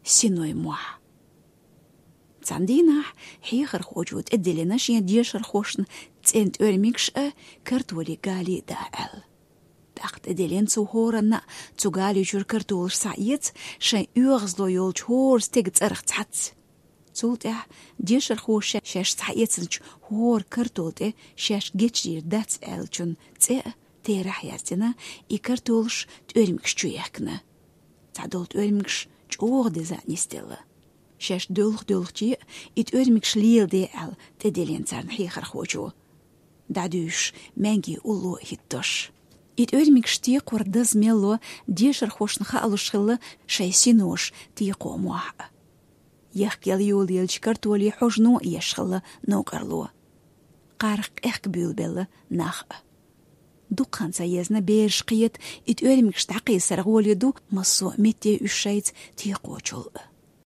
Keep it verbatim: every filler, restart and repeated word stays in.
синой мохь. Цхьан дийнахь хьехархочо тӀедиллина шен дешархошна цӀен тӀоьрмигаш а, картоли гали а да аьлла. ТӀаккха тӀедиллина цо хӀоранна а, цу гали чуьра картолаш схьаэца, шайн оьгӀазло йолчу хӀора стеган цӀарах цхьацца. Цул тӀаьхьа дешархоша шаьш схьаэцначу хӀора картол тӀе шаьш гечдийр дац аьллачун цӀе а терахь яздина, и картолаш тӀоьрмигаш чу яьккхина. Цхьадолу тӀоьрмигаш чӀогӀа деза а нисделла. Шаьш доьлху-доьлхуче а и тӀоьрмигаш леладе аьлла тӀедиллина царна хьехархочо, дӀадуьйшуш маьнги улло а хӀиттош. И тӀоьрмигаш текхор даза мелло дешархошна хаалуш хилла шайн синош текхо мохь а. Ехкъел йолаелчу картоли хьожано а еш хилла новкъарло. Кхарах къехка буьйлабелла нах а. Дукха хан ца езна бераш кхета и тӀоьрмигаш дӀакхийсар гӀоле ду массо а метте уьш шайца текхочул а.